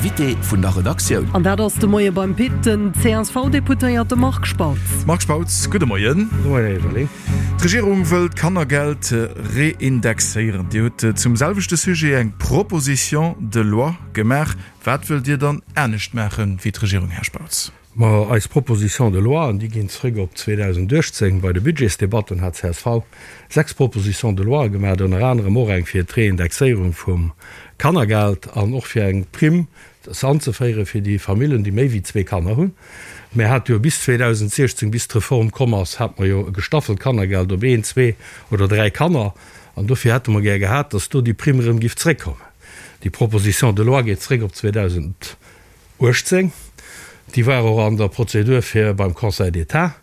Invité vun der Redaktioun. An dat ass de Moie beim Pit den CSV-Deputéierte Marc Spautz. Marc Spautz, gudde Moien. Gudde Moien, Här Everling. D'Regierung wëll d'Kannergeld reindexéieren. Dir hutt zum selwechte Sujet eng Proposition de loi gemaach. Wat wëllt Dir dann anescht maache wéi d'Regierung, Här Spautz? Ma eis Propositions de loi, an déi ginn zrëck op 2018, bei de Budgetsdebatten hat csv 6 Propositions de loi gemaach, ënner anerem och eng fir d'Reindexéierung vum Kannergeld an och fir eng Primm anzeféiere fir déi Famillen, déi méi wéi zwee Kanner hunn. Mir hate jo bis 2016, bis d'Reform komm ass, hate mer jo e gestaffelt Kannergeld op een, zwee oder dräi Kanner. An dofir hätte mer gär gehat, dass do déi Primm erëm giff zrëckkommen. Déi Proposition de loi geet zrëck op 2000. 18, déi war och an der Prozedur fir beim Conseil d'État.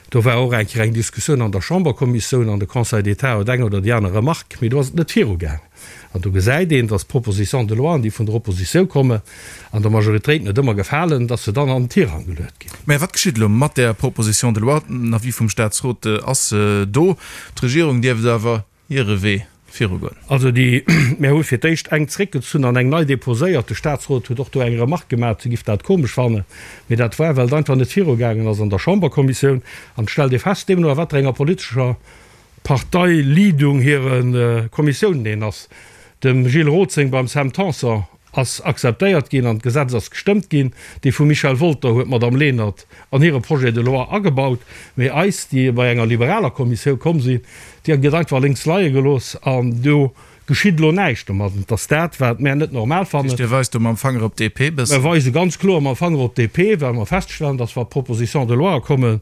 Do war och eng Kéier eng Diskussioun an der Chamberkommissioun an de Conseil d'État huet eng oder déi aner Remarque, mee do ass et net virugaangen. An do gesäit een, dass d'Propositions de loi, déi vun der Oppositioun kommen an der Majoritéit net ëmmer gefalen, dass se dann an den Tirang geluet ginn. Mä wat geschitt elo mat där Proposition de loi? Den Avis vum Statsrot ass do. D'Regierung dierft awer hire Wee virugoen. Also déi, mär hu fir d'éischt eng zréckgezunn an eng nei déposéiert. De Statsrot huet och do eng Remarque gemaach, se giff dat komesch fannen. Mee dat war, well et einfach net virugaangen ass an der Chamberkommissioun. An et stellt ee fest, deemno a wat fir enger politescher Parteileadung hire Kommissiounen een ass. Dem Gilles Roth seng beim Sam Tanson ass akzeptéiert ginn an d'Gesetz ass gestëmmt ginn. Déi vum Michel Wolter huet d'Madame Lenert an hire Projet de loi agebaut, mee eis, déi bei enger liberaler Kommissioun komm sinn, déi gëtt einfach lénks leie gelooss an do geschitt elo näischt domat. Et ass dat, wat mär net normal fannen. Dir weist do mam Fanger op d'DP bëssen? Mer weise ganz kloer mam Fanger op d'DP, well mer feststellen, dass wa Propositions de loi kommen,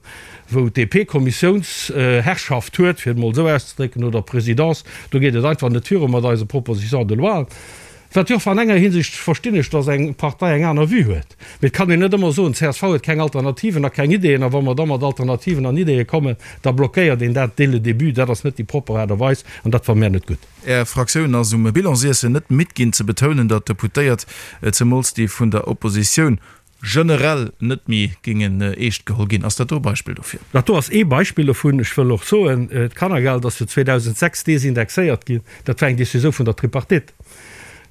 wou d'DP Kommissiounsherrschaft huet, fir et emol esou auszedrécken, oder Présidence, do geet et einfach net viru mat eise Propositions de loi. Wat jo, an enger Hinsicht verstinn ech, datt eng Partei eng aner Vue huet. Mee et kann een net ëmmer soen, csv huet keng Alternativen a keng Ideeën, a wa mer da mat Alternativen an Ideeë kommen, da blockéiert een dat dès le début. Dat ass net déi propper Aart a Weis an dat fanne mär net gutt. Är Fraktioun ass um Bilansiessen net midd ginn ze betounen, datt d'Deputéiert, zemools déi vun der Oppositioun, generell net méi géingen eescht geholl ginn. Ass dat do e Beispill dofir? Dat do ass ee Beispill dovun. Ech wëll och soen, d'Kannergeld ass jo 2006 desindexéiert ginn. Dat war eng Décisioun vun der Tripartite.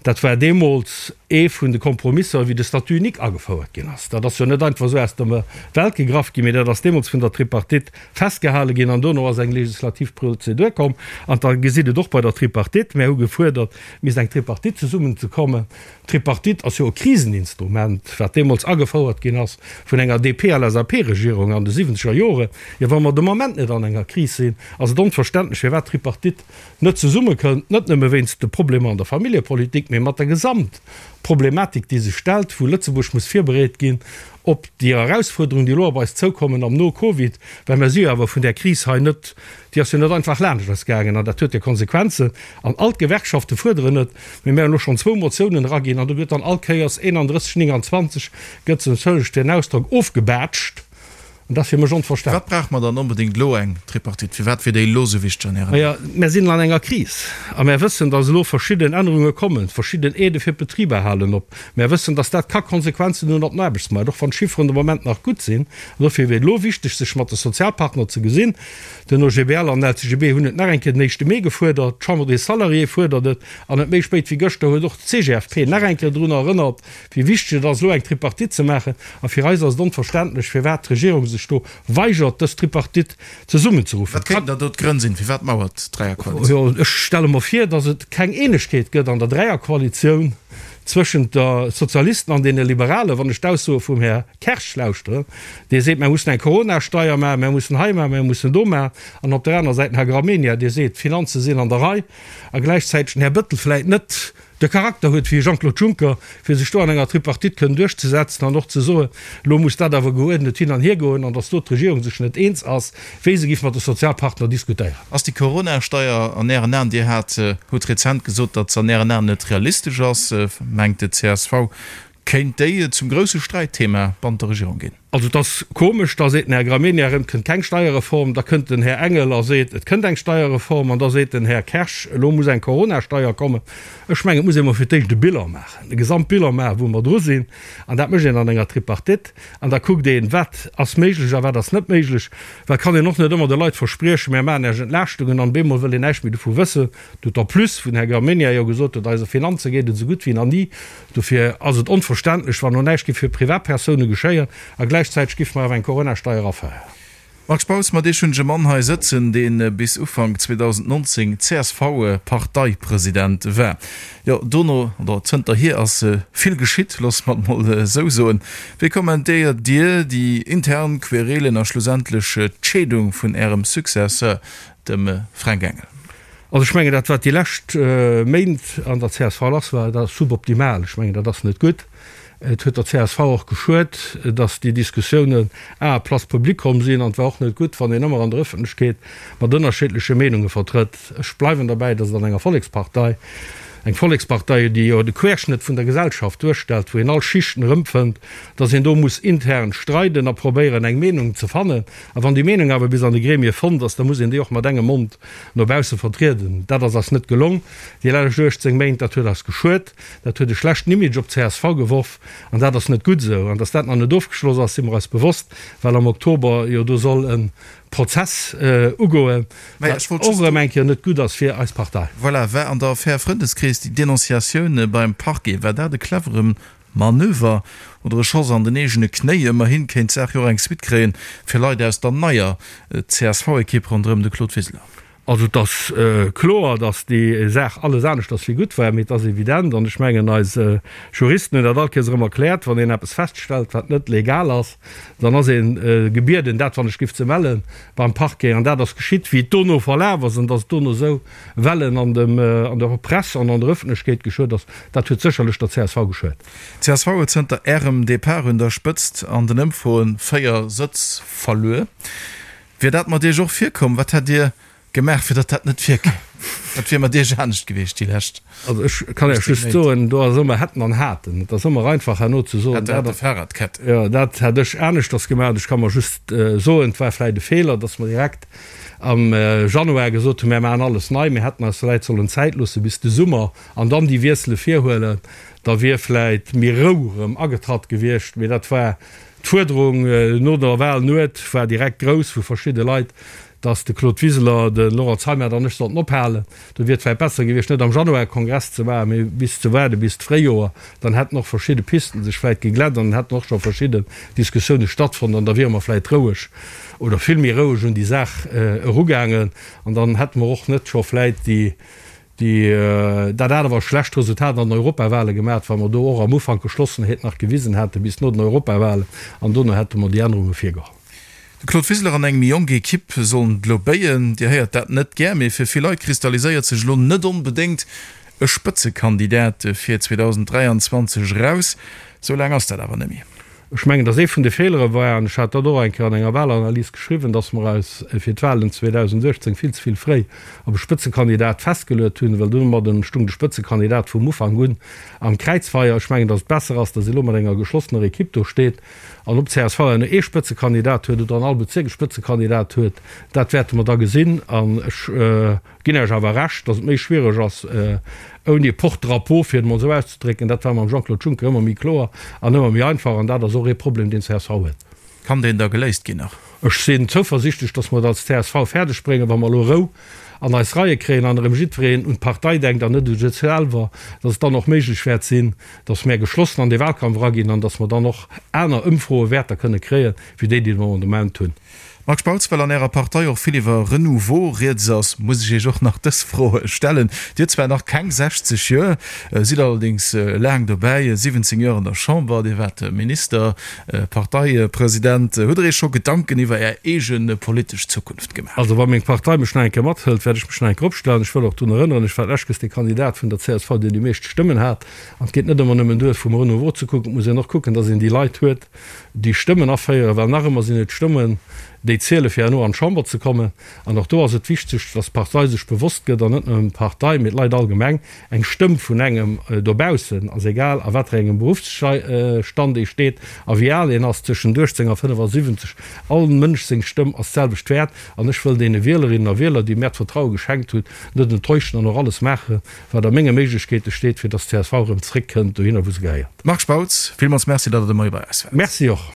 Dat war deemools ee vun de Kompromisser, wéi de Statut unique agefouert ginn ass. Dat ass jo net einfach esou aus der Welt gegraff ginn, mee dat ass deemools vun der Tripartite festgehale ginn an dono ass eng legislativ Prozedur komm. An da gesitt et och bei der Tripartite, Mär hu gefuerdert, et misst eng Tripartite zesummenzekommen. D'Tripartite ass jo e Kriseninstrument, wat deemools agefouert ginn ass vun enger DP-LSAP-Regierung an de siwwenzeger Joren. Jo, wa mer de Moment net an enger Kris sinn, ass et onverständlech, firwat d'Tripartite net zesummekënnt, net nëmme wéinst de Problemer an der Familljepolitik, mee mat der Gesamtproblematik, déi sech stellt, wou Lëtzebuerg muss virbereet ginn op déi Erausfuerderungen, déi elo op eis zoukommen am No-Covid, well mer si jo awer vun där Kris hei net, déi ass jo net einfach laanscht eis gaangen an dat huet jo Konsequenzen an all d'Gewerkschafte fuerderen et, mee mir hunn elo schonn zwou Motiounen eraginn an do gëtt dann all Kéiers 31, 29 gëtt se, entschëllegt fir den Ausdrock, ofgebaatscht an dat ass fir mech onverständlech. Firwat brauche mer dann onbedéngt elo eng Tripartite? Firwat wier déi elo esou wichteg an Ären Aen? Majo, mär sinn an enger Kris a mär wëssen, datt elo verschidden Ännerunge kommen, verschidden Aidë fir d'Betriber halen op. Mär wëssen, datt dat ka Konsequenzen hunn op den Aarbechtsmaart, och wann d'Chifferen de Moment nach gutt sinn. An dofir wier et elo wichteg, sech mat de Sozialpartner ze gesinn. Den OGBL an den LCGB hunn et nach eng Kéier den éischte Mee gefuerdert, d'Chambre des Salariés fuerdert et an net méi spéit wéi gëschter huet och d'CGFP nach eng Kéier drun erënnert, wéi wichteg et ass, elo eng Tripartite ze maachen. A fir eis ass et onverständlech, firwat d'Regierung sech do weigert, dës Tripartite zesummenzeruffen. Wat kéinten da do d'Grënn sinn? Firwat mauert d'Dräierkoalitioun? Jo, ech stelle mer vir, datt et keng Eenegkeet gëtt an der Dräierkoalitioun zwëschent der Sozialisten an deene Liberalen, wann ech d'Aussoe vum Här Kersch lauschteren, dee seet, mer mussen eng Coronasteier maachen, mer mussen hei maachen, mer mussen do maachen, an op der aner Säit den Här Gramegna, dee seet, d'Finanze sinn an der Rei, a gläichzäiteg den Här Bettel vläit net de Charakter huet wéi e Jean-Claude Juncker, fir sech do an enger Tripartite kënnen duerchzesetzen an och ze soen, elo muss dat awer geuerdnet hin an hier goen, an datt do d'Regierung sech net eens ass, wéi se giff mat de Sozialpartner diskutéieren. Ass déi Coronasteier an Ären Aen, Dir hat, hutt rezent gesot, datt se an Ären Aen net realistesch ass, mengt de csv, kéint déi zum grousse Sträitthema bannent der Regierung ginn? Also et ass komesch, da seet den Här Gramegna erëm, et kënnt keng Steierreform, da kënnt den Här Engel a seet, et kënnt eng Steierreform, an da seet den Här Kersch, elo muss eng Coronasteier kommen. Ech mengen, et muss ee mol fir d'éischt e Bilan maachen, e Gesamtbilan maachen, wou mer dru sinn. An dat mécht een an enger Tripartite. An da kuckt een, wat ass méiglech a wat ass net méiglech. Well et kann een och net ëmmer de Leit verspriechen, mär maachen Iech Entlaaschtungen, an op eemol wëll een näischt méi dovu wëssen. D'autant plus, wou den Här Gramegna jo gesot huet, eise Finanze geet et esou gutt wéi nach ni. Dofir ass et onverständlech, wann elo näischt géif fir Privatpersoune geschéien a gläichzäiteg géife mer awer eng Coronasteier aféieren. Marc Spautz, Mat Iech hunn ech e Mann hei sëtzen, dee bis Ufank 2019 CSV-Parteipresident war. Jo, dono, oder zënterhier ass vill geschitt, loosse mer et mol esou soen. Wéi kommentéiert Dir déi intern Querelen a schlussendlech d'Scheedung vun Ärem Successeur, dem Fränk Engel? Also ech mengen, dat wat déi lescht Méint an der csv lass war, dat ass suboptimal. Ech mengen, dat ass net gutt. Et huet der csv och geschuet, datt déi Diskussiounen a à place publique komm sinn. An et war och net gutt, wann een ëmmer an der Ëffentlechkeet mat ënnerschiddleche Meenunge vertrëtt. Ech bleiwen derbäi, datt et an enger Vollekspartei, eng Vollekspartei, déi jo de Querschnëtt vun der Gesellschaft duerstellt, wou een all Schichten erëmfënnt, datt een do muss intern streiden a probéieren, eng Meenung ze fannen. A wann déi Meenung awer bis an de Gremie fonnt ass, da muss een déi och mat engem Mond no bausse vertrieden. Dat ass eis net gelong déi lescht 18 Méint. Dat huet eis geschuet. Dat huet e schlechten Image op d'CSV geworf an dat ass net gutt esou. An datt dat nach net ofgeschloss ass, si mer eis bewosst, well am Oktober jo do soll e Prozess ugoen, wat och erëm eng Kéier net gutt ass fir eis Partei. Voilà, war an der Affär Frëndeskrees déi Denonciatioun beim Parquet, war dat e clevere Manöver oder e Schoss an den eegene Knéi? Ëmmerhin kéint d'Saach jo och eng Suite kréien fir Leit aus der neier CSV-Ekipp ronderëm de Claude Wiseler. Also et ass kloer, datt déi Saach alles aneschters wéi gutt war, mee et ass evident, an ech mengen eis Juristen hunn dat all Kéiers erëm erkläert, wann een eppes feststellt, wat net legal ass, dann ass ee gebieden, dat wann ech giff ze mellen beim Parquet. An dat ass geschitt. Wéi et dono verlaf ass an datt et dono esou Wellen an dem, an der Press an an der Ëffentlechkeet geschuet ass, dat huet sécherlech der csv geschuet. D'CSV huet zënter Ärem Depart un der Spëtzt an den Ëmfroen 4 Sëtz verluer. Wier dat mat Iech och virkomm? Wat hätt Dir gemaach, fir datt dat net virkéim? Wat wier mat Iech anescht gewiescht déi lescht Also ech kann Iech just soen, do ass ëmmer hätten an haten. Et ass ëmmer einfach herno ze soen, dat hätt Fahrradkette. Jo, dat hätt ech aneschters gemaach. Ech ka mer just soen, et war vläicht e Feeler, datt mer direkt am Januar gesot hunn, mär maachen alles nei, mir hätten eis vläit sollen Zäit loosse bis de Summer an dann déi Wiessele virhuelen, da wier vläit méi Rou erëm agetratt gewiescht. Mee dat war d'Fuerderung no der Wahl. D'Nuet war direkt grouss vu verschidde Leit, datt de Claude Wiseler, de Laurent Zeimet an ech sollten ophalen. Do wier et vläit besser gewiescht, net am Januar e Kongress ze maachen, mee bis ze waarde bis d'Fréijoer. Dann hätten och verschidde Pisten sech vläit geglätt an dann hätten och scho verschidden Diskussioune stattfonnt an da wiere mer vläit roueg oder vill méi roueg un déi Saach erugaangen an dann hätte mer och net scho vläit déi, déi, dat awer schlecht Resultat an den Europawale gemaach, wa mer do och am Ufank Geschlossenheet nach gewisen hätte bis no den Europawalen an dono hätte mer déi Ännerunge virgeholl. De Claude Wiseler an eng méi jonk Equipe sollen et elo béien. Dir héiert dat net gär, mee fir vill Leit kristalliséiert sech elo net onbedéngt e Spëtzekandidat fir 2023 eraus. Sou laang ass dat awer net méi. Ech mengen, datt ee vun de Feelere war, an ech hat dat och eng Kéier an enger Walanalys geschriwwen, datt mer eis fir d'Walen 2018 vill ze vill fréi op e Spëtzekandidat festgeluet hunn, well domadden stung de Spëtzekandidat vum Ufank un am Kräizfeier. Ech mengen, datt et besser ass, datt ee elo mat enger geschlossener Equipe do steet. An ob csv herno ee Spëtzekandidat huet oder an all Bezierk e Spëtzekandidat huet, dat wäerte mer da gesinn. An ech ginn Iech awer Recht, datt et méi schwiereg ass ouni e Porte-drapeau, fir et emol esou auszedrécken. Dat war mam Jean-Claude Juncker ëmmer méi kloer an ëmmer méi einfach. An dat ass och ee Problem, deen csv huet. Kann deen da geléist ginn nach? Ech sinn zouversichtlech, datt mer et als csv fäerdeg bréngen, wa mer elo Rou an eis Reie kréien an erëm jiddwereen un d'Partei denkt an net u sech selwer, datt et dann och méiglech wäert sinn, datt mär geschlossen an dee Wahlkampf eraginn an datt mer dann och aner Ëmfroewäerter kënne kréien, wéi déi, déi mer de Moment hunn. Marc Spautz, Well an Ärer Partei och vill iwwer Renouveau rieds ass, muss ech Iech och nach dës Fro stellen. Dir hutt zwar nach keng 60 Joer, sidd allerdéngs laang dobäi, 17 Joer an der Chamber, Dir waart Minister, Parteipresident. Hutt Der Iech scho Gedanken iwwer Är eege politesch Zukunft gemaach? Also wa meng Partei mech nach eng Kéier mathëlt, wäert ech mech nach eng Kéier opstellen. Ech wëll och drun erënneren, ech war d'lescht dee Kandidat vun der csv, deen déi meescht Stëmmen hat. An et geet net ëmmer nëmmen duer, vum Renouveau ze kucken, et muss een och kucken, datt een déi Leit huet, déi Stëmmen aféieren, well nach ëmmer sinn et d'Stëmmen. Déi ziele fir herno an d'Chamber ze kommen. An och do ass et wichteg, dass d'Partei sech bewosst gëtt, an net nëmmen d'Partei, mee d'Leit allgemeng, eng Stëmm vun engem dobaussen, ass egal a wat fir engem Beruffsstand ee steet a wéi al een ass, tëschent 18 a 75, all Mënsch seng Stëmm ass d'selwecht wäert. An ech wëll deene Wielerinnen a Wieler, déi mär d'Vertraue geschenkt hunn, net enttäuschen an och alles maachen, wat a menge Méiglechkeete steet, fir dass d'CSV erëm zréckkënnt dohinner, wou se gehéiert. Marc Spautz, villmools Merci, datt Der de Moie bei eis waart. Merci och.